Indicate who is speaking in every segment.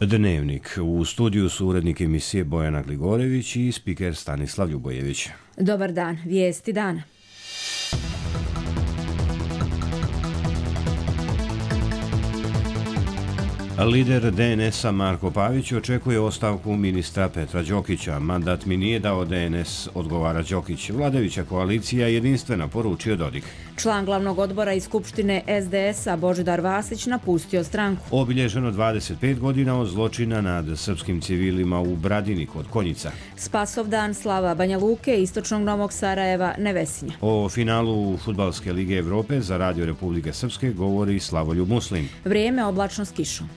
Speaker 1: Dnevnik. U studiju su urednik emisije Bojana Gligorević i spiker Stanislav Ljubojević.
Speaker 2: Dobar dan, vijesti dana.
Speaker 1: Lider DNS-a Marko Pavić očekuje ostavku ministra Petra Đokića. Mandat mi nije dao DNS, odgovara Đokić. Vladajuća koalicija jedinstvena, poručio Dodik.
Speaker 2: Član glavnog odbora iz Skupštine SDS-a Božidar Vasić napustio stranku.
Speaker 1: Obilježeno 25 godina od zločina nad srpskim civilima u Bradini kod Konjica.
Speaker 2: Spasovdan slava Banja Luke, istočnog Novog Sarajeva, Nevesinja.
Speaker 1: O finalu Fudbalske lige Evrope za Radio Republike Srpske govori Slavoljub Muslim.
Speaker 2: Vrijeme oblačno s kišom.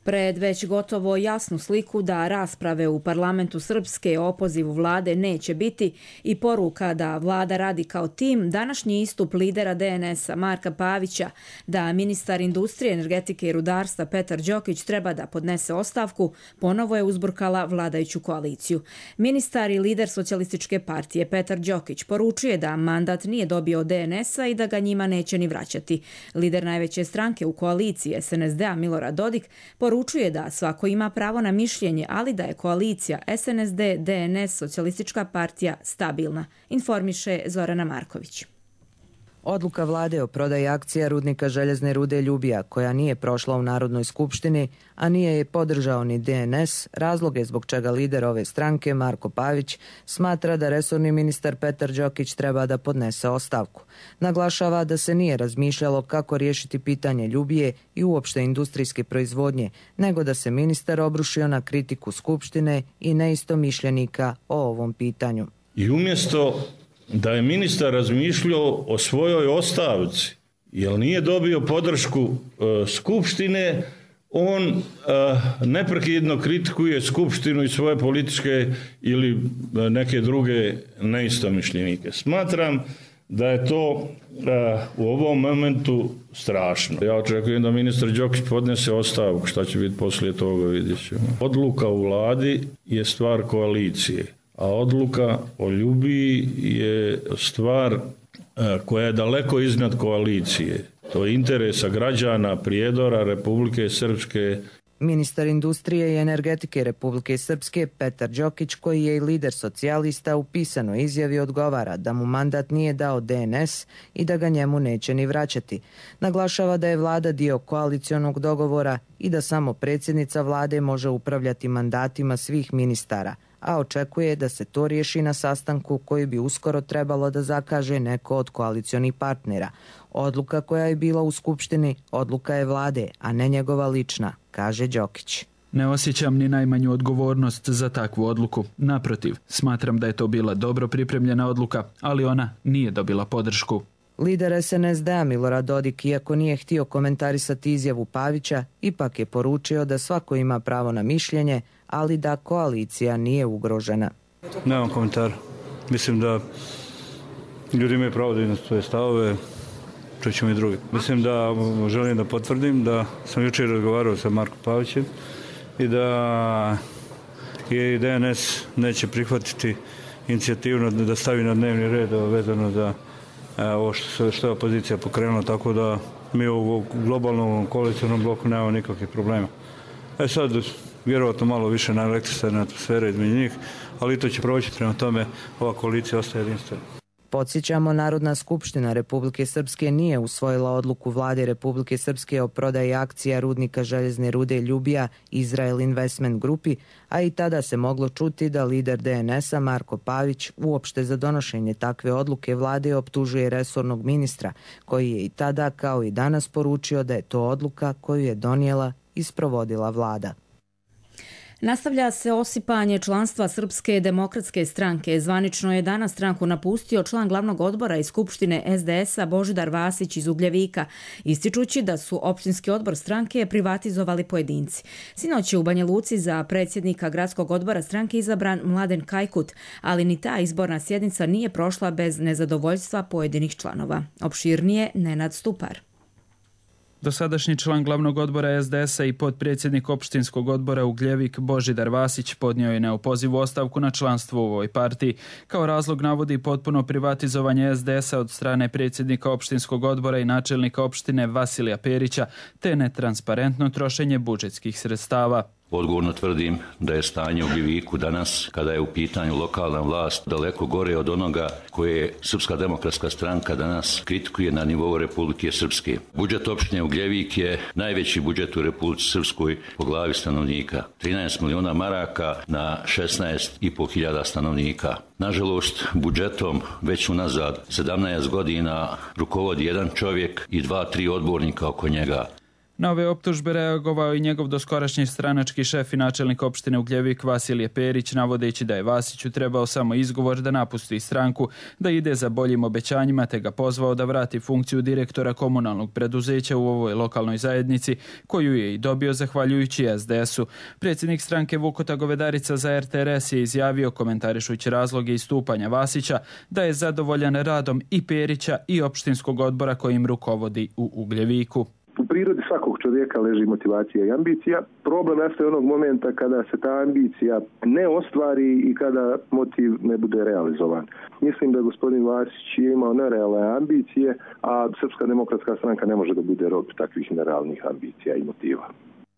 Speaker 2: Pred već gotovo jasnu sliku da rasprave u parlamentu Srpske o opozivu vlade neće biti i poruka da vlada radi kao tim, današnji istup lidera DNS-a Marka Pavića da ministar industrije, energetike i rudarstva Petar Đokić treba da podnese ostavku, ponovo je uzburkala vladajuću koaliciju. Ministar i lider socijalističke partije Petar Đokić poručuje da mandat nije dobio od DNS-a i da ga njima neće ni vraćati. Lider najveće stranke u koaliciji SNSD-a Milorad Dodik poručuje da svako ima pravo na mišljenje, ali da je koalicija SNSD-DNS Socijalistička partija stabilna, informiše Zorana Marković.
Speaker 3: Odluka vlade o prodaji akcija rudnika željezne rude Ljubija, koja nije prošla u Narodnoj skupštini, a nije je podržao ni DNS, razlog je zbog čega lider ove stranke, Marko Pavić, smatra da resorni ministar Petar Đokić treba da podnese ostavku. Naglašava da se nije razmišljalo kako riješiti pitanje Ljubije i uopšte industrijske proizvodnje, nego da se ministar obrušio na kritiku skupštine i neistomišljenika o ovom pitanju.
Speaker 4: I umjesto da je ministar razmišljao o svojoj ostavci, jer nije dobio podršku skupštine, on neprekidno kritikuje skupštinu i svoje političke ili neke druge neistomišljenike. Smatram da je to u ovom momentu strašno. Ja očekujem da ministar Đokić podnese ostavku, šta će biti poslije toga, vidjet ćemo. Odluka u vladi je stvar koalicije, a odluka o Ljubiji je stvar koja je daleko iznad koalicije. To je interesa građana Prijedora, Republike Srpske.
Speaker 3: Ministar industrije i energetike Republike Srpske Petar Đokić, koji je i lider socijalista, u pisanoj izjavi odgovara da mu mandat nije dao DNS i da ga njemu neće ni vraćati. Naglašava da je vlada dio koalicionog dogovora i da samo predsjednica vlade može upravljati mandatima svih ministara, a očekuje da se to riješi na sastanku koji bi uskoro trebalo da zakaže neko od koalicionih partnera. Odluka koja je bila u skupštini, odluka je vlade, a ne njegova lična, kaže Đokić.
Speaker 5: Ne osjećam ni najmanju odgovornost za takvu odluku. Naprotiv, smatram da je to bila dobro pripremljena odluka, ali ona nije dobila podršku.
Speaker 3: Lider SNSD-a Milorad Dodik, iako nije htio komentarisati izjavu Pavića, ipak je poručio da svako ima pravo na mišljenje, ali da koalicija nije ugrožena.
Speaker 6: Nemam komentar. Mislim da ljudi imaju pravo da iznose svoje stavove, čućemo i drugi. Mislim da želim da potvrdim da sam jučer razgovarao sa Markom Pavićem i da je DNS neće prihvatiti inicijativno da stavi na dnevni red vezano za ovo što je opozicija pokrenula, tako da mi u globalnom koalicionom bloku nemamo nikakvih problema. Sad, vjerovatno malo više na elektrisane atmosfere između njih, ali to će proći, prema tome ova koalicija ostaje jedinstvena.
Speaker 3: Podsjećamo, Narodna skupština Republike Srpske nije usvojila odluku vlade Republike Srpske o prodaji akcija rudnika željezne rude Ljubija Izrael Investment Grupi, a i tada se moglo čuti da lider DNS-a Marko Pavić uopšte za donošenje takve odluke vlade optužuje resornog ministra, koji je i tada kao i danas poručio da je to odluka koju je donijela i sprovodila vlada.
Speaker 2: Nastavlja se osipanje članstva Srpske demokratske stranke. Zvanično je danas stranku napustio član glavnog odbora iz Skupštine SDS-a Božidar Vasić iz Ugljevika, ističući da su opštinski odbor stranke privatizovali pojedinci. Sinoć je u Banja Luci za predsjednika gradskog odbora stranke izabran Mladen Kajkut, ali ni ta izborna sjednica nije prošla bez nezadovoljstva pojedinih članova. Opširnije Nenad Stupar.
Speaker 5: Dosadašnji član glavnog odbora SDS-a i potpredsjednik opštinskog odbora Ugljevik Božidar Vasić podnio je neopozivu ostavku na članstvo u ovoj partiji. Kao razlog navodi potpuno privatizovanje SDS-a od strane predsjednika opštinskog odbora i načelnika opštine Vasilija Perića, te netransparentno trošenje budžetskih sredstava.
Speaker 7: Odgovorno tvrdim da je stanje u Ugljeviku danas, kada je u pitanju lokalna vlast, daleko gore od onoga koje Srpska demokratska stranka danas kritikuje na nivou Republike Srpske. Budžet opštine Ugljevik je najveći budžet u Republici Srpskoj po glavi stanovnika. 13 miliona maraka na 16.500 stanovnika. Nažalost, budžetom već unazad 17 godina rukovodi jedan čovjek i 2-3 odbornika oko njega.
Speaker 5: Na ove optužbe reagovao i njegov doskorašnji stranački šef i načelnik opštine Ugljevik Vasilije Perić, navodeći da je Vasiću trebao samo izgovor da napusti stranku, da ide za boljim obećanjima, te ga pozvao da vrati funkciju direktora komunalnog preduzeća u ovoj lokalnoj zajednici, koju je i dobio zahvaljujući SDS-u. Predsjednik stranke Vukota Govedarica za RTRS je izjavio, komentarišući razloge istupanja Vasića, da je zadovoljan radom i Perića i opštinskog odbora kojim rukovodi u Ugljeviku.
Speaker 8: U prirodi svakog čovjeka leži motivacija i ambicija. Problem nastaje onog momenta kada se ta ambicija ne ostvari i kada motiv ne bude realizovan. Mislim da gospodin Vasić je imao nerealne ambicije, a Srpska demokratska stranka ne može da bude rob takvih nerealnih ambicija i motiva.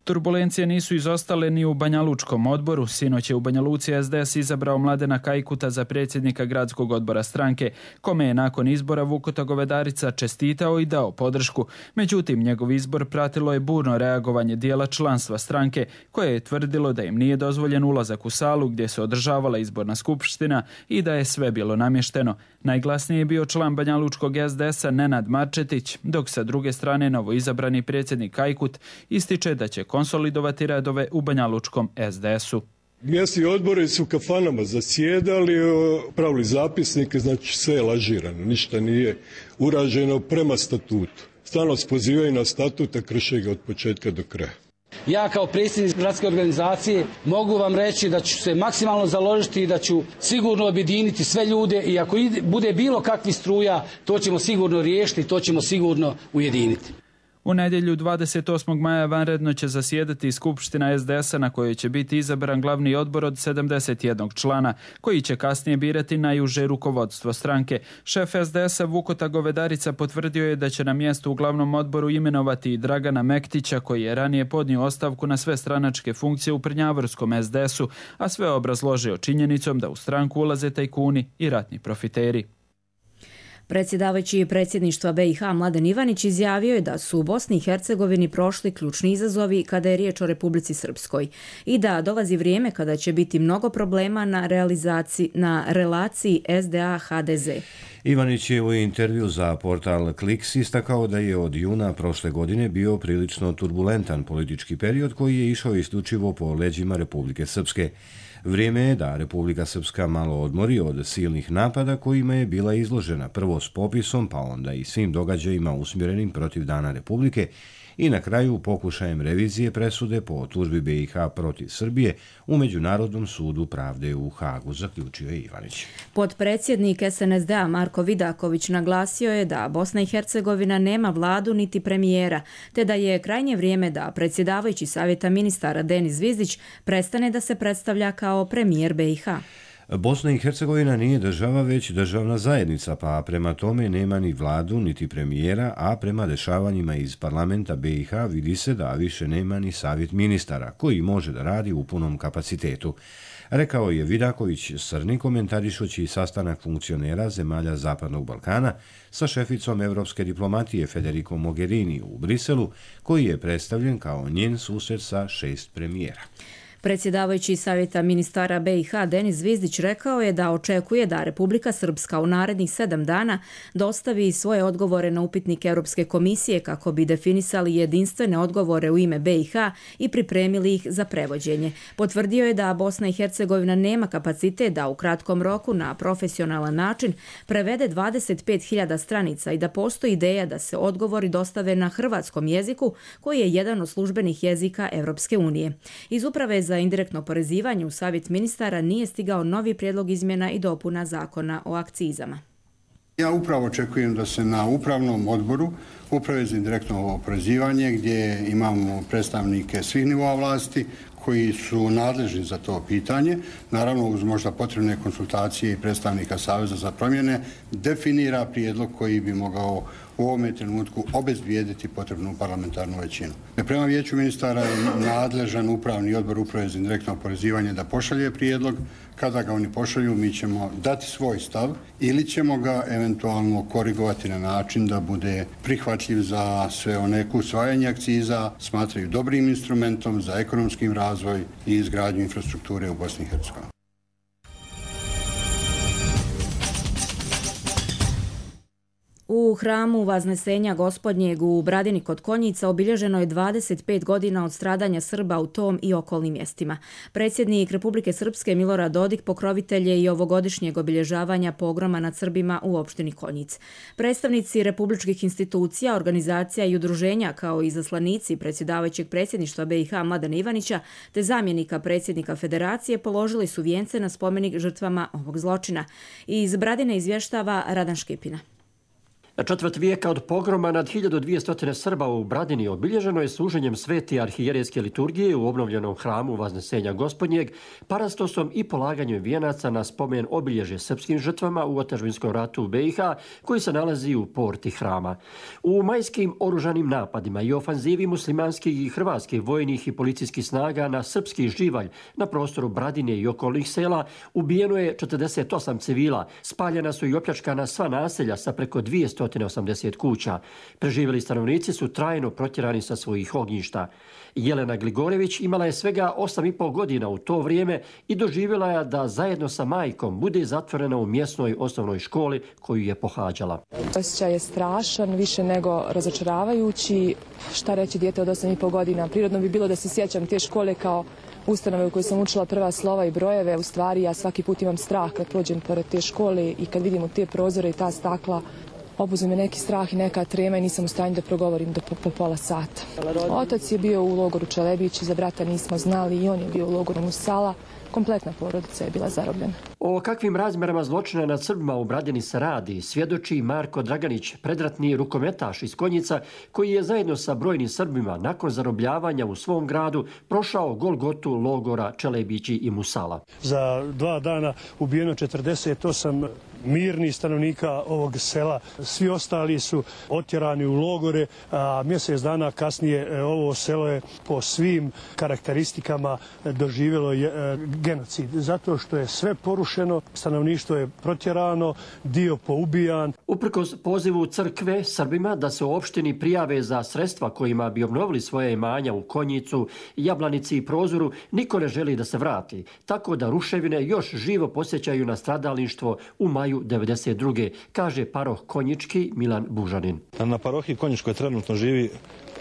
Speaker 5: Turbulencije nisu izostale ni u Banjalučkom odboru. Sinoć je u Banja Luci SDS izabrao Mladena Kajkuta za predsjednika gradskog odbora stranke, kome je nakon izbora Vukota Govedarica čestitao i dao podršku. Međutim, njegov izbor pratilo je burno reagovanje dijela članstva stranke, koje je tvrdilo da im nije dozvoljen ulazak u salu gdje se održavala izborna skupština i da je sve bilo namješteno. Najglasniji je bio član Banjalučkog SDS-a Nenad Marčetić, dok sa druge strane novoizabrani predsjednik Kajkut ističe da će konsolidovati redove u Banjalučkom SDS-u.
Speaker 9: Mjesni odbori su u kafanama zasjedali, pravili zapisnike, znači sve je lažirano, ništa nije urađeno prema statutu. Stalno se pozivaju na statut, a krše ga od početka do kraja.
Speaker 10: Ja kao predsjednik gradske organizacije mogu vam reći da ću se maksimalno založiti i da ću sigurno objediniti sve ljude i ako bude bilo kakvih struja, to ćemo sigurno riješiti, to ćemo sigurno ujediniti.
Speaker 5: U nedjelju 28. maja vanredno će zasjedati Skupština SDS-a na kojoj će biti izabran glavni odbor od 71 člana, koji će kasnije birati najuže rukovodstvo stranke. Šef SDS-a Vukota Govedarica potvrdio je da će na mjestu u glavnom odboru imenovati i Dragana Mektića, koji je ranije podnio ostavku na sve stranačke funkcije u Prnjavorskom SDS-u, a sve obrazložio činjenicom da u stranku ulaze tajkuni i ratni profiteri.
Speaker 2: Predsjedavajući predsjedništva BiH Mladen Ivanić izjavio je da su u Bosni i Hercegovini prošli ključni izazovi kada je riječ o Republici Srpskoj i da dolazi vrijeme kada će biti mnogo problema na relaciji SDA-HDZ.
Speaker 1: Ivanić je u intervju za portal Kliks istakao da je od juna prošle godine bio prilično turbulentan politički period koji je išao isključivo po leđima Republike Srpske. Vrijeme je da Republika Srpska malo odmori od silnih napada kojima je bila izložena, prvo s popisom, pa onda i svim događajima usmjerenim protiv Dana Republike i na kraju pokušajem revizije presude po tužbi BiH protiv Srbije u Međunarodnom sudu pravde u Hagu, zaključio je Ivanić.
Speaker 2: Potpredsjednik SNSD-a Marko Vidaković naglasio je da Bosna i Hercegovina nema vladu niti premijera, te da je krajnje vrijeme da predsjedavajući Savjeta ministara Denis Zvizdić prestane da se predstavlja kao premijer BiH.
Speaker 1: Bosna i Hercegovina nije država, već državna zajednica, pa prema tome nema ni vladu, niti premijera, a prema dešavanjima iz parlamenta BiH vidi se da više nema ni savjet ministara, koji može da radi u punom kapacitetu. Rekao je Vidaković Srni komentarišući sastanak funkcionera zemalja Zapadnog Balkana sa šeficom evropske diplomatije Federico Mogherini u Briselu, koji je predstavljen kao njen susret sa 6 premijera.
Speaker 2: Predsjedavajući Savjeta ministara BiH Denis Zvizdić rekao je da očekuje da Republika Srpska u narednih 7 dana dostavi svoje odgovore na upitnik Europske komisije kako bi definisali jedinstvene odgovore u ime BiH i pripremili ih za prevođenje. Potvrdio je da Bosna i Hercegovina nema kapacitet da u kratkom roku na profesionalan način prevede 25.000 stranica i da postoji ideja da se odgovori dostave na hrvatskom jeziku, koji je jedan od službenih jezika Europske unije. Iz Uprave za indirektno oporezivanje u Savjet ministara nije stigao novi prijedlog izmjena i dopuna zakona o akcizama.
Speaker 11: Ja upravo očekujem da se na upravnom odboru Uprave za indirektno oporezivanje, gdje imamo predstavnike svih nivoa vlasti koji su nadležni za to pitanje, naravno uz možda potrebne konsultacije i predstavnika Saveza za promjene, definira prijedlog koji bi mogao u ovome trenutku obezbijediti potrebnu parlamentarnu većinu. Prema Vijeću ministara je nadležan upravni odbor Uprave za indirektno oporezivanje da pošalje prijedlog. Kada ga oni pošalju, mi ćemo dati svoj stav ili ćemo ga eventualno korigovati na način da bude prihvatljiv za sve one koji usvajanje akciza smatraju dobrim instrumentom za ekonomski razvoj i izgradnju infrastrukture u Bosni i Hercegovini.
Speaker 2: U hramu Vaznesenja Gospodnjeg u Bradini kod Konjica obilježeno je 25 godina od stradanja Srba u tom i okolnim mjestima. Predsjednik Republike Srpske Milorad Dodik pokrovitelj je i ovogodišnjeg obilježavanja pogroma nad Srbima u opštini Konjic. Predstavnici republičkih institucija, organizacija i udruženja kao i izaslanici predsjedavajućeg predsjedništva BiH Mladena Ivanića te zamjenika predsjednika Federacije položili su vijence na spomenik žrtvama ovog zločina. Iz Bradine izvještava Radan Škipina.
Speaker 12: Četvrt vijeka od pogroma nad 1200 Srba u Bradini obilježeno je služenjem svete arhijerejske liturgije u obnovljenom hramu Vaznesenja Gospodnjeg, parastosom i polaganjem vijenaca na spomen obilježje srpskim žrtvama u otadžbinskom ratu u BiH koji se nalazi u porti hrama. U majskim oružanim napadima i ofanzivi muslimanskih i hrvatskih vojnih i policijskih snaga na srpski živalj na prostoru Bradine i okolnih sela ubijeno je 48 civila, spaljena su i opljačkana sva naselja sa preko 280 kuća. Preživjeli stanovnici su trajno protjerani sa svojih ognjišta. Jelena Gligorević imala je svega 8,5 godina u to vrijeme i doživjela je da zajedno sa majkom bude zatvorena u mjesnoj osnovnoj školi koju je pohađala.
Speaker 13: Osjećaj je strašan, više nego razočaravajući. Šta reći, dijete od 8,5 godina? Prirodno bi bilo da se sjećam te škole kao ustanove u kojoj sam učila prva slova i brojeve. U stvari ja svaki put imam strah kad prođem pored te škole i kad vidim te prozore i ta stakla. Obuzme me neki strah i neka trema i nisam u stanju da progovorim po pola sata. Otac je bio u logoru Čelebići, za brata nismo znali i on je bio u logoru Musala. Kompletna porodica je bila zarobljena.
Speaker 12: O kakvim razmjerama zločina nad Srbima u Bradini se radi, svjedoči Marko Draganić, predratni rukometaš iz Konjica, koji je zajedno sa brojnim Srbima nakon zarobljavanja u svom gradu prošao Golgotu logora Čelebići i Musala.
Speaker 14: Za 2 dana ubijeno 48 mirnih stanovnika ovog sela. Svi ostali su otjerani u logore, a mjesec dana kasnije ovo selo je po svim karakteristikama doživjelo genocid. Zato što je sve porušeno, stanovništvo je protjerano, dio poubijan.
Speaker 12: Uprkos pozivu crkve Srbima da se u opštini prijave za sredstva kojima bi obnovili svoje imanja u Konjicu, Jablanici i Prozoru, niko ne želi da se vrati. Tako da ruševine još živo posjećaju na stradalništvo u maju 1992. kaže paroh Konjički Milan Bužanin.
Speaker 15: Na parohiji Konjičkoj trenutno živi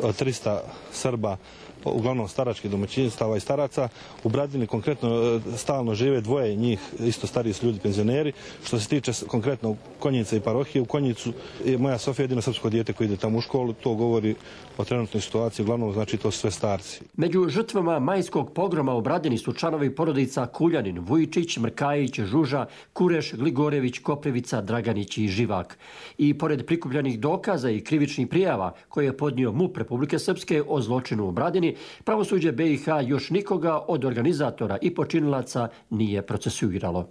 Speaker 15: 300 Srba, uglavnom staračkih domaćinstava i staraca. U Bradini konkretno stalno žive 2 njih, isto stariji su ljudi, penzioneri. Što se tiče konkretno Konjica i parohije, u Konjicu je moja Sofija jedino srpsko dijete koji ide tamo u školu. To govori o trenutnoj situaciji, uglavnom znači to su sve starci.
Speaker 12: Među žrtvama majskog pogroma u Bradini su članovi porodica Kuljanin, Vujčić, Mrkajić, Žuža, Kureš, Gligorević, Koprivica, Draganić i Živak. I pored prikupljenih dokaza i krivičnih prijava koje je podnio MUP Republike Srpske o zločinu u Bradini, pravosuđe BiH još nikoga od organizatora i počinilaca nije procesuiralo.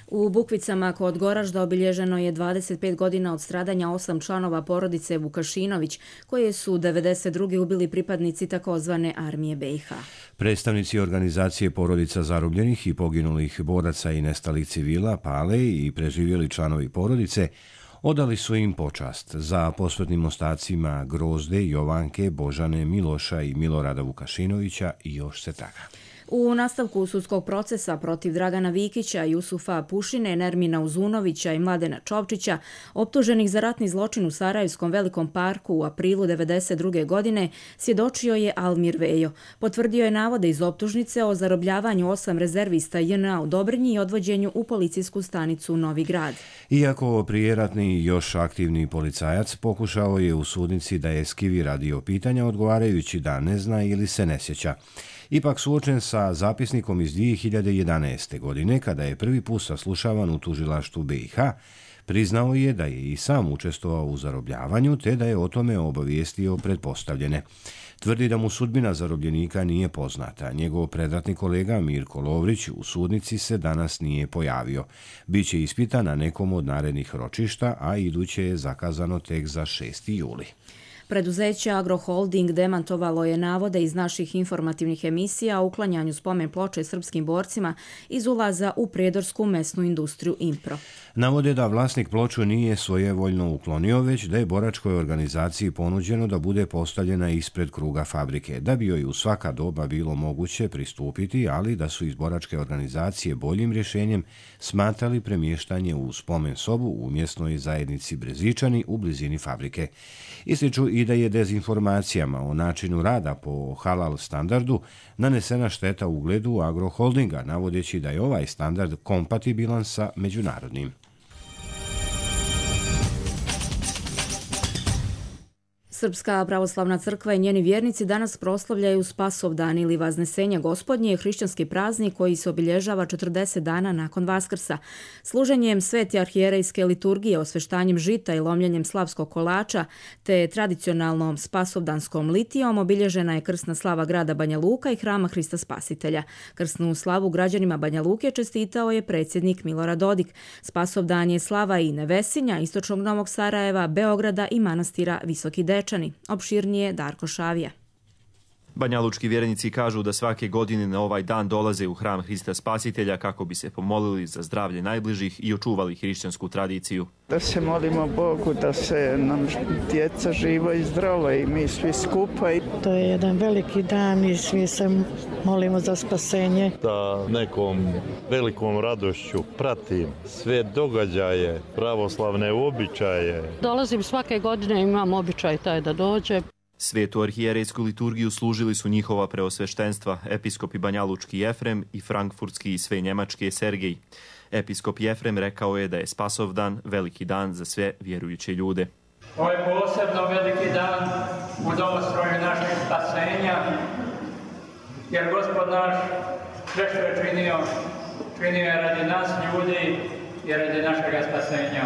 Speaker 2: U Bukvicama kod Goražda obilježeno je 25 godina od stradanja 8 članova porodice Vukašinović, koje su 1992. ubili pripadnici takozvane armije BiH.
Speaker 1: Predstavnici organizacije porodica zarobljenih i poginulih boraca i nestalih civila, Pale i preživjeli članovi porodice, odali su im počast za posmrtnim ostacima Grozde, Jovanke, Božane, Miloša i Milorada Vukašinovića i još se traga.
Speaker 2: U nastavku sudskog procesa protiv Dragana Vikića, Jusufa Pušine, Nermina Uzunovića i Mladena Čovčića, optuženih za ratni zločin u Sarajevskom Velikom parku u aprilu 1992. godine, svjedočio je Almir Vejo. Potvrdio je navode iz optužnice o zarobljavanju 8 rezervista JNA u Dobrinji i odvođenju u policijsku stanicu Novi Grad.
Speaker 1: Iako prijeratni još aktivni policajac pokušao je u sudnici da eskivi radio pitanja odgovarajući da ne zna ili se ne sjeća. Ipak suočen sa zapisnikom iz 2011. godine, kada je prvi put saslušavan u tužilaštvu BiH, Priznao je da je i sam učestvovao u zarobljavanju te da je o tome obavijestio pretpostavljene. Tvrdi da mu sudbina zarobljenika nije poznata. Njegov predratni kolega Mirko Lovrić u sudnici se danas nije pojavio. Biće ispitan na nekom od narednih ročišta, a iduće je zakazano tek za 6. juli.
Speaker 2: Preduzeće Agroholding demantovalo je navode iz naših informativnih emisija o uklanjanju spomen ploče srpskim borcima iz ulaza u prijedorsku mesnu industriju Impro.
Speaker 1: Navode da vlasnik ploču nije svojevoljno uklonio, već da je boračkoj organizaciji ponuđeno da bude postavljena ispred kruga fabrike, da bi joj u svaka doba bilo moguće pristupiti, ali da su iz boračke organizacije boljim rješenjem smatrali premještanje u spomen sobu u mjesnoj zajednici Brezičani u blizini fabrike. Ističu i da je dezinformacijama o načinu rada po halal standardu nanesena šteta ugledu Agroholdinga, navodeći da je ovaj standard kompatibilan sa međunarodnim.
Speaker 2: Srpska pravoslavna crkva i njeni vjernici danas proslavljaju Spasovdan ili Vaznesenje Gospodnje, hrišćanski praznik koji se obilježava 40 dana nakon Vaskrsa. Služenjem svete arhijerejske liturgije, osveštanjem žita i lomljenjem slavskog kolača, te tradicionalnom spasovdanskom litijom obilježena je krsna slava grada Banja Luka i hrama Hrista Spasitelja. Krsnu slavu građanima Banja Luke čestitao je predsjednik Milorad Dodik. Spasovdan je slava i Nevesinja, istočnog Novog Sarajeva, Beograda i manastira Visoki Dečani. Opširnije Darko Šavija.
Speaker 16: Banjalučki vjernici kažu da svake godine na ovaj dan dolaze u hram Hrista Spasitelja kako bi se pomolili za zdravlje najbližih i očuvali hrišćansku tradiciju.
Speaker 17: Da se molimo Bogu da se nam djeca živo i zdravo i mi svi skupa.
Speaker 18: To je jedan veliki dan i svi se molimo za spasenje.
Speaker 19: Da nekom velikom radošću pratim sve događaje, pravoslavne običaje.
Speaker 18: Dolazim svake godine, imam običaj taj da dođe.
Speaker 16: Svetu arhijerejsku liturgiju služili su njihova preosveštenstva, episkopi Banjalučki Jefrem i frankfurtski i sve njemački Sergej. Episkop Jefrem rekao je da je Spasovdan veliki dan za sve vjerujuće ljude.
Speaker 20: Ovo je posebno veliki dan u domostroju našeg spasenja, jer Gospod naš sve što je činio je radi nas ljudi i radi našega spasenja.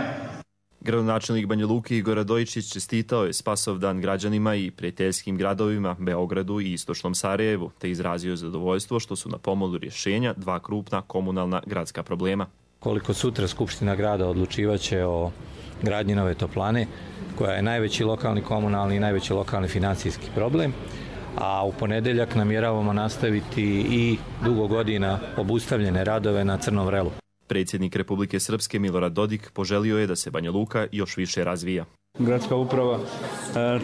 Speaker 16: Gradonačelnik Banja Luke Igor Radojičić čestitao je Spasovdan građanima i prijateljskim gradovima Beogradu i istočnom Sarajevu, te izrazio zadovoljstvo što su na pomolu rješenja dva krupna komunalna gradska problema.
Speaker 21: Koliko sutra Skupština grada odlučivaće o gradnji nove toplane, koja je najveći lokalni komunalni i najveći lokalni financijski problem, a u ponedeljak namjeravamo nastaviti i dugo godina obustavljene radove na Crnom vrelu.
Speaker 16: Predsjednik Republike Srpske Milorad Dodik poželio je da se Banja Luka još više razvija.
Speaker 6: Gradska uprava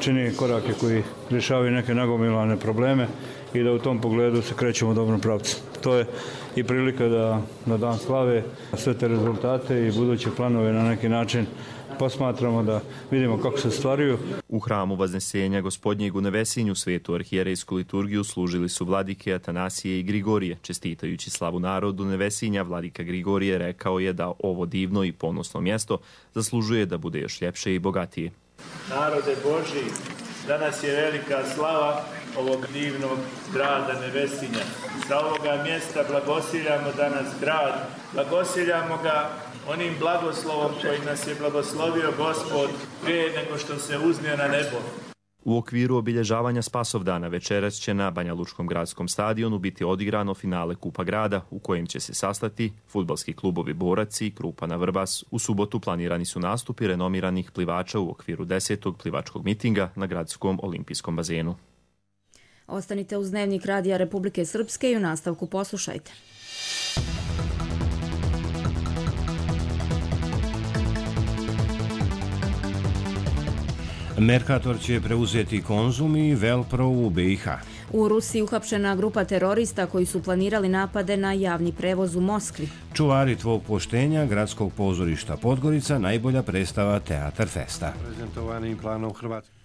Speaker 6: čini korake koji rješavaju neke nagomilane probleme i da u tom pogledu se krećemo u dobrom pravcu. To je i prilika da na dan slave sve te rezultate i buduće planove na neki način posmatramo, da vidimo kako se stvaraju.
Speaker 16: U hramu Vaznesenja Gospodnjeg u Nevesinju svetu arhijerejsku liturgiju služili su vladike Atanasije i Grigorije. Čestitajući slavu narodu Nevesinja, vladika Grigorije rekao je da ovo divno i ponosno mjesto zaslužuje da bude još ljepše i bogatije.
Speaker 22: Narode Božji, danas je velika slava ovog divnog grada Nevesinja. Sa ovoga mjesta blagosiljamo danas grad, blagosiljamo ga onim blagoslovom koji nas je blagoslovio Gospod prije nego što se uznio na nebo.
Speaker 16: U okviru obilježavanja Spasovdana večeras će na Banjalučkom gradskom stadionu biti odigrano finale Kupa grada u kojem će se sastati fudbalski klubovi Borac i Krupana Vrbas. U subotu planirani su nastupi renomiranih plivača u okviru 10. plivačkog mitinga na gradskom olimpijskom bazenu.
Speaker 2: Ostanite uz Dnevnik Radija Republike Srpske i u nastavku poslušajte.
Speaker 1: Mercator će preuzeti Konzum i Velpro u BiH.
Speaker 2: U Rusiji uhapšena grupa terorista koji su planirali napade na javni prevoz u Moskvi.
Speaker 1: Čuvari tvog poštenja gradskog pozorišta Podgorica, najbolja predstava Teatar Festa.
Speaker 23: Prezentovanim planom Hrvatske.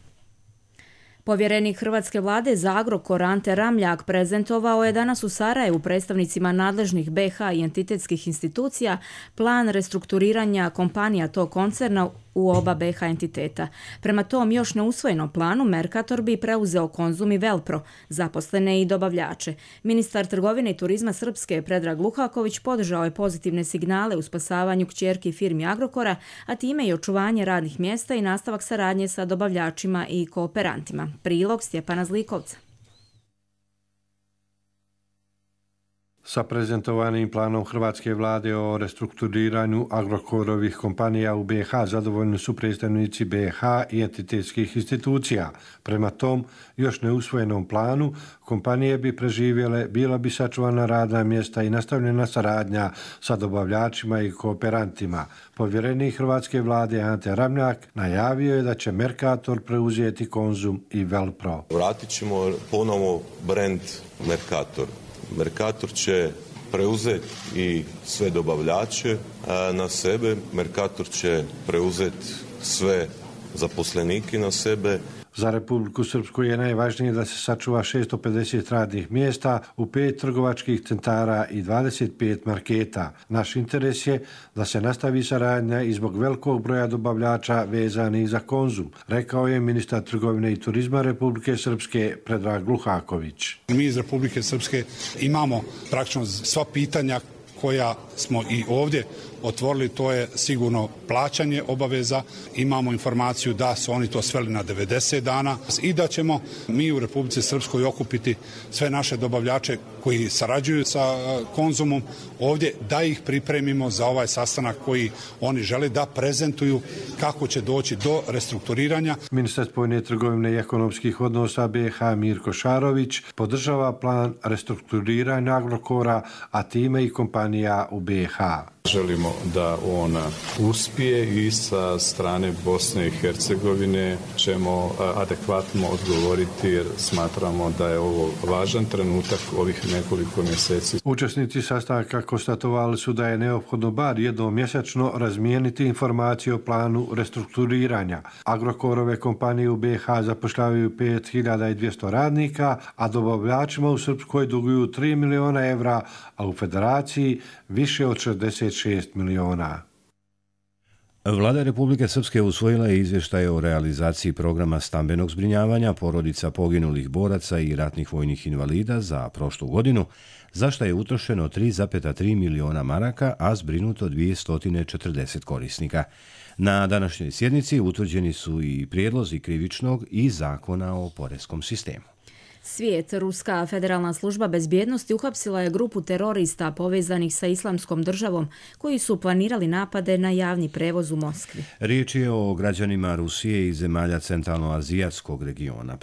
Speaker 2: Povjerenik Hrvatske vlade za Agrokor Ante Ramljak prezentovao je danas u Sarajevu predstavnicima nadležnih BiH i entitetskih institucija plan restrukturiranja kompanija tog koncerna u oba BiH entiteta. Prema tom još neusvojenom planu Mercator bi preuzeo Konzum i Velpro, zaposlene i dobavljače. Ministar trgovine i turizma Srpske Predrag Luhaković podržao je pozitivne signale u spasavanju kćerki firmi Agrokora, a time i očuvanje radnih mjesta i nastavak saradnje sa dobavljačima i kooperantima. Prilog Stjepana Zlikovca.
Speaker 23: Sa prezentovanim planom hrvatske vlade o restrukturiranju Agrokorovih kompanija u BiH zadovoljni su predstavnici BiH i entitetskih institucija. Prema tom još neusvojenom planu kompanije bi preživjele, bila bi sačuvana radna mjesta i nastavljena saradnja sa dobavljačima i kooperantima. Povjerenik hrvatske vlade Ante Ramljak najavio je da će Mercator preuzeti Konzum i Velpro.
Speaker 3: Vratit ćemo ponovo brand Mercator. Mercator će preuzeti i sve dobavljače na sebe, Mercator će preuzeti sve zaposlenike na sebe.
Speaker 23: Za Republiku Srpsku je najvažnije da se sačuva 650 radnih mjesta u 5 trgovačkih centara i 25 marketa. Naš interes je da se nastavi saradnja i zbog velikog broja dobavljača vezanih za Konzum, rekao je ministar trgovine i turizma Republike Srpske Predrag Luhaković.
Speaker 4: Mi iz Republike Srpske imamo praktično sva pitanja koja smo i ovdje otvorili, to je sigurno plaćanje obaveza. Imamo informaciju da su oni to sveli na 90 dana i da ćemo mi u Republici Srpskoj okupiti sve naše dobavljače koji sarađuju sa Konzumom ovdje, da ih pripremimo za ovaj sastanak koji oni žele da prezentuju kako će doći do restrukturiranja.
Speaker 23: Ministar spoljne trgovine i ekonomskih odnosa BiH Mirko Šarović podržava plan restrukturiranja Agrokora, a time i kompanija u BiH.
Speaker 7: Želimo da on uspije i sa strane Bosne i Hercegovine ćemo adekvatno odgovoriti jer smatramo da je ovo važan trenutak ovih nekoliko mjeseci.
Speaker 23: Učesnici sastanka konstatovali su da je neophodno bar jednom mjesečno razmijeniti informacije o planu restrukturiranja. Agrokorove kompanije u BiH zapošljavaju 5200 radnika, a dobavljačima u Srpskoj duguju 3 miliona evra, a u Federaciji više od 66 miliona.
Speaker 1: Vlada Republike Srpske usvojila je izvještaje o realizaciji programa stambenog zbrinjavanja porodica poginulih boraca i ratnih vojnih invalida za prošlu godinu, za što je utrošeno 3,3 miliona maraka, a zbrinuto 240 korisnika. Na današnjoj sjednici utvrđeni su i prijedlozi krivičnog i zakona o poreskom sistemu.
Speaker 2: Svijet, Ruska federalna služba bezbjednosti uhapsila je grupu terorista povezanih sa Islamskom državom koji su planirali napade na javni prevoz u Moskvi.
Speaker 1: Riječ je o građanima Rusije i zemalja centralnoazijatskog regiona.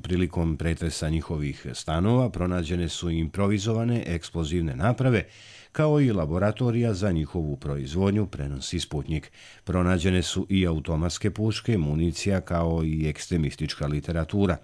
Speaker 1: Prilikom pretresa njihovih stanova pronađene su improvizovane eksplozivne naprave, kao i laboratorija za njihovu proizvodnju, prenosi Sputnik. Pronađene su i automatske puške, municija, kao i ekstremistička literatura.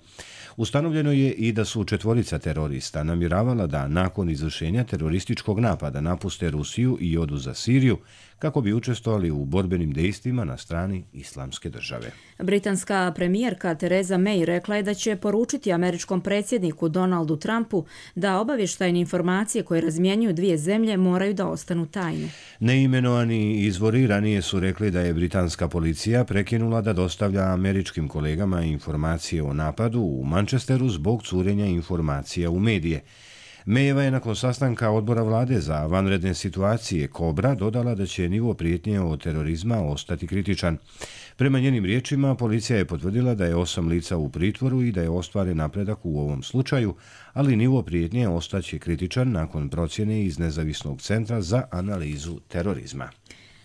Speaker 1: Ustanovljeno je i da su 4 terorista namjeravala da nakon izvršenja terorističkog napada napuste Rusiju i odu za Siriju kako bi učestvovali u borbenim dejstvima na strani Islamske države.
Speaker 2: Britanska premijerka Theresa May rekla je da će poručiti američkom predsjedniku Donaldu Trumpu da obavještajne informacije koje razmjenjuju dvije zemlje moraju da ostanu tajne.
Speaker 1: Neimenovani izvori ranije su rekli da je britanska policija prekinula da dostavlja američkim kolegama informacije o napadu u Manchesteru zbog curenja informacija u medije. Mayeva je nakon sastanka odbora vlade za vanredne situacije Kobra dodala da će nivo prijetnje od terorizma ostati kritičan. Prema njenim riječima, policija je potvrdila da je 8 lica u pritvoru i da je ostvaren napredak u ovom slučaju, ali nivo prijetnje ostaće kritičan nakon procjene iz Nezavisnog centra za analizu terorizma.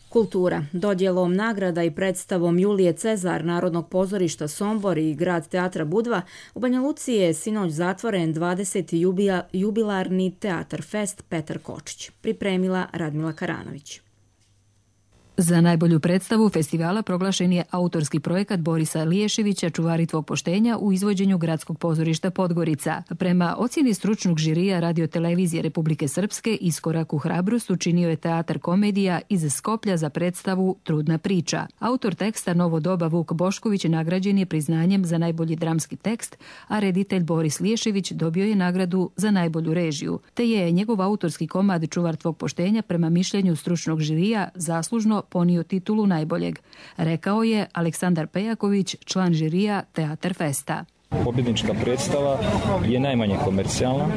Speaker 2: Kultura. Dodjelom nagrada i predstavom Julije Cezar Narodnog pozorišta Sombor i Grad teatra Budva u Banja Luci je sinoć zatvoren 20. jubilarni Teatar Fest Petar Kočić. Pripremila Radmila Karanović.
Speaker 24: Za najbolju predstavu festivala proglašen je autorski projekat Borisa Liješevića Čuvari poštenja u izvođenju Gradskog pozorišta Podgorica. Prema ocjeni stručnog žirija Radiotelevizije Republike Srpske, iskorak u hrabrost učinio je teatar komedija iz Skoplja za predstavu Trudna priča. Autor teksta Novo doba Vuk Bošković nagrađen je priznanjem za najbolji dramski tekst, a reditelj Boris Liješević dobio je nagradu za najbolju režiju, te je njegov autorski komad Čuvar tvog poštenja prema mišljenju stručnog žirija zaslužno ponio titulu najboljeg, rekao je Aleksandar Pejaković, član žirija Teatar Festa.
Speaker 5: Pobjednička predstava je najmanje komercijalna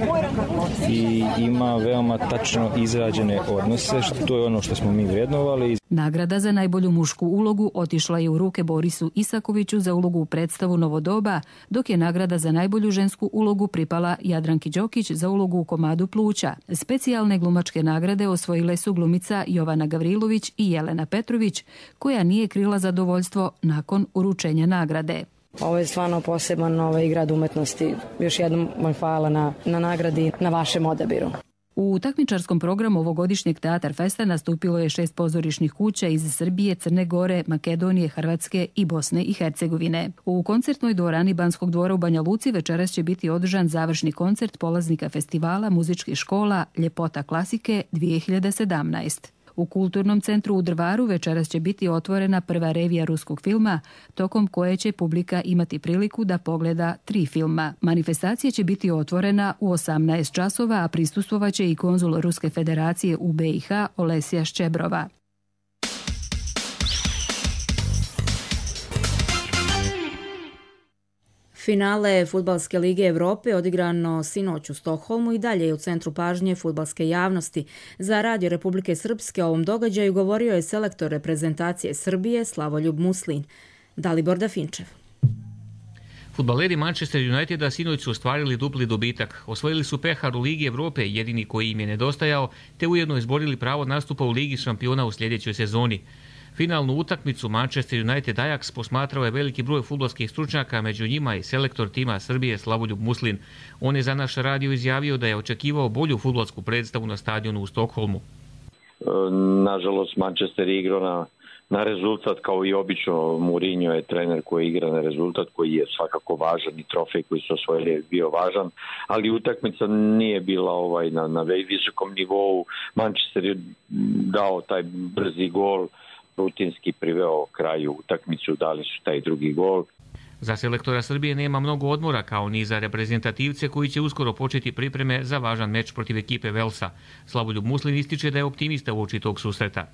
Speaker 5: i ima veoma tačno izrađene odnose, to je ono što smo mi vrednovali.
Speaker 24: Nagrada za najbolju mušku ulogu otišla je u ruke Borisu Isakoviću za ulogu u predstavu Novodoba, dok je nagrada za najbolju žensku ulogu pripala Jadranki Đokić za ulogu u komadu Pluća. Specijalne glumačke nagrade osvojile su glumica Jovana Gavrilović i Jelena Petrović, koja nije krila zadovoljstvo nakon uručenja nagrade.
Speaker 8: Ovo je stvarno poseban grad umetnosti. Još jednom vam hvala na nagradi, na vašem odabiru.
Speaker 24: U takmičarskom programu ovogodišnjeg Teatar Festa nastupilo je 6 pozorišnih kuća iz Srbije, Crne Gore, Makedonije, Hrvatske i Bosne i Hercegovine. U koncertnoj dvorani Banskog dvora u Banja Luci večeras će biti održan završni koncert polaznika festivala muzičkih škola Ljepota klasike 2017. U Kulturnom centru u Drvaru večeras će biti otvorena prva revija ruskog filma, tokom koje će publika imati priliku da pogleda 3 filma. Manifestacija će biti otvorena u 18 časova, a prisustvovaće i konzul Ruske federacije u BiH Olesja Ščebrova.
Speaker 2: Finale Fudbalske lige Evrope odigrano sinoć u Stokholmu i dalje je u centru pažnje fudbalske javnosti. Za Radio Republike Srpske o ovom događaju govorio je selektor reprezentacije Srbije Slavoljub Muslin. Dalibor Dafinčev.
Speaker 9: Fudbaleri Manchester Uniteda sinoć su ostvarili dupli dobitak. Osvojili su pehar u Ligi Evrope, jedini koji im je nedostajao, te ujedno izborili pravo nastupa u Ligi šampiona u sljedećoj sezoni. Finalnu utakmicu Manchester United Ajax posmatrao je veliki broj fudbalskih stručnjaka, među njima i selektor tima Srbije Slavoljub Muslin. On je za naš radio izjavio da je očekivao bolju fudbalsku predstavu na stadionu u Stokholmu.
Speaker 10: Nažalost, Manchester je igrao na rezultat, kao i obično. Mourinho je trener koji igra na rezultat, koji je svakako važan i trofej koji su osvojili je bio važan, ali utakmica nije bila na visokom nivou. Manchester je dao taj brzi gol, rutinski priveo kraju utakmicu, dali su taj drugi gol.
Speaker 9: Za selektora Srbije nema mnogo odmora, kao ni za reprezentativce koji će uskoro početi pripreme za važan meč protiv ekipe Velsa. Slavoljub Muslin ističe da je optimista uoči tog susreta.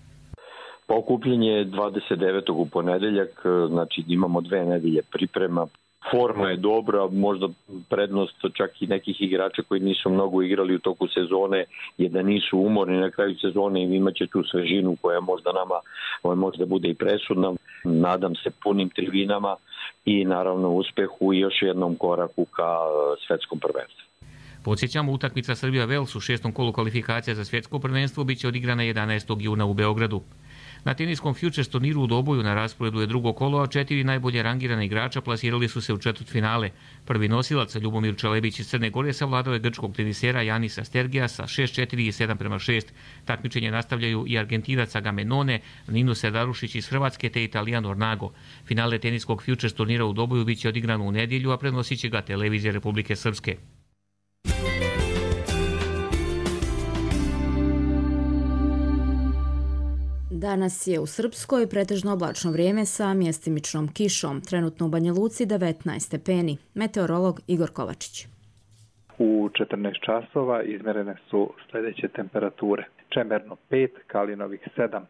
Speaker 10: Pa okupljenje je 29. u ponedeljak, znači imamo 2 nedelje priprema. Forma je dobra, možda prednost čak i nekih igrača koji nisu mnogo igrali u toku sezone je da nisu umorni na kraju sezone i imaće tu svežinu koja možda nama možda bude i presudna. Nadam se punim tribinama i naravno uspehu i još jednom koraku ka svetskom prvenstvu.
Speaker 9: Podsjećamo, utakmica Srbija-Vels u 6. kolu kvalifikacija za svjetsko prvenstvo biće odigrana 11. juna u Beogradu. Na teniskom Futures turniru u Doboju na rasporedu je drugo kolo, a 4 najbolje rangirana igrača plasirali su se u četvrtfinale. Prvi nosilac Ljubomir Čelebić iz Crne Gore savladao je grčkog tenisera Janisa Stergija sa 6-4 i 7-6. Takmičenje nastavljaju i Argentinac Agamenone, Nino Sedarušić iz Hrvatske te Italijan Ornago. Finale teniskog Futures turnira u Doboju biće odigrano u nedjelju, a prenosit će ga televizija Republike Srpske.
Speaker 2: Danas je u Srpskoj pretežno oblačno vrijeme sa mjestimičnom kišom. Trenutno u Banja Luci 19 stepeni. Meteorolog Igor Kovačić.
Speaker 25: U 14 časova izmjerene su sljedeće temperature. Čemerno 5, Kalinovih 7,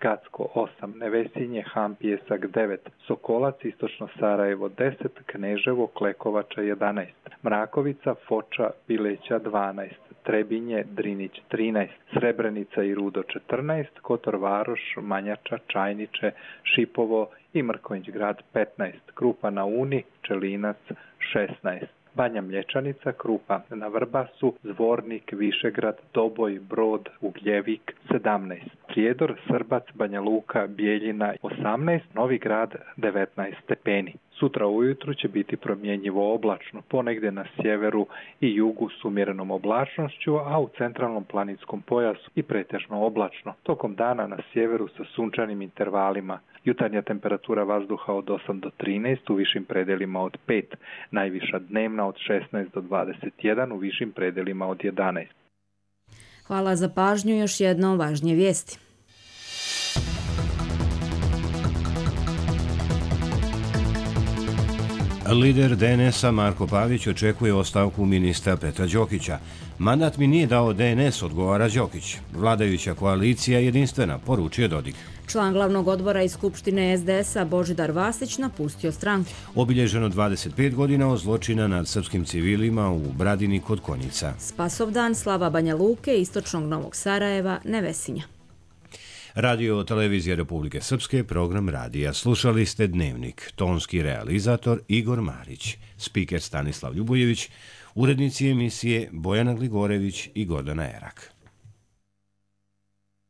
Speaker 25: Gacko 8, Nevesinje, Han Pijesak 9, Sokolac, Istočno Sarajevo 10, Kneževo, Klekovača 11, Mrakovica, Foča, Bileća 12, Trebinje, Drinić 13, Srebrenica i Rudo 14, Kotor Varoš, Manjača, Čajniče, Šipovo i Mrkonjić grad 15, Krupa na Uni, Čelinac 16. Banja Mlječanica, Krupa na Vrbasu, Zvornik, Višegrad, Doboj, Brod, Ugljevik 17. Prijedor, Srbac, Banja Luka, Bijeljina 18, Novi Grad 19 stepeni. Sutra ujutru će biti promjenjivo oblačno, ponegdje na sjeveru i jugu s umjerenom oblačnošću, a u centralnom planinskom pojasu i pretežno oblačno. Tokom dana na sjeveru sa sunčanim intervalima. Jutarnja temperatura vazduha od 8 do 13, u višim predelima od 5, najviša dnevna od 16 do 21, u višim predelima od 11.
Speaker 2: Hvala za pažnju, još jednom važnije vijesti.
Speaker 1: Lider DNS-a Marko Pavić očekuje ostavku ministra Petra Đokića. Mandat mi nije dao DNS, odgovara Đokić. Vladajuća koalicija je jedinstvena, poručuje Dodik.
Speaker 2: Član glavnog odbora iz Skupštine SDS-a Božidar Vasić napustio stranku.
Speaker 1: Obilježeno 25 godina od zločina nad srpskim civilima u Bradini kod Konjica.
Speaker 2: Spasovdan, slava Banja Luke, istočnog Novog Sarajeva, Nevesinja.
Speaker 1: Radio Televizija Republike Srpske, program radija. Slušali ste Dnevnik, tonski realizator Igor Marić, spiker Stanislav Ljubojević, urednici emisije Bojana Gligorević i Gordana Erak.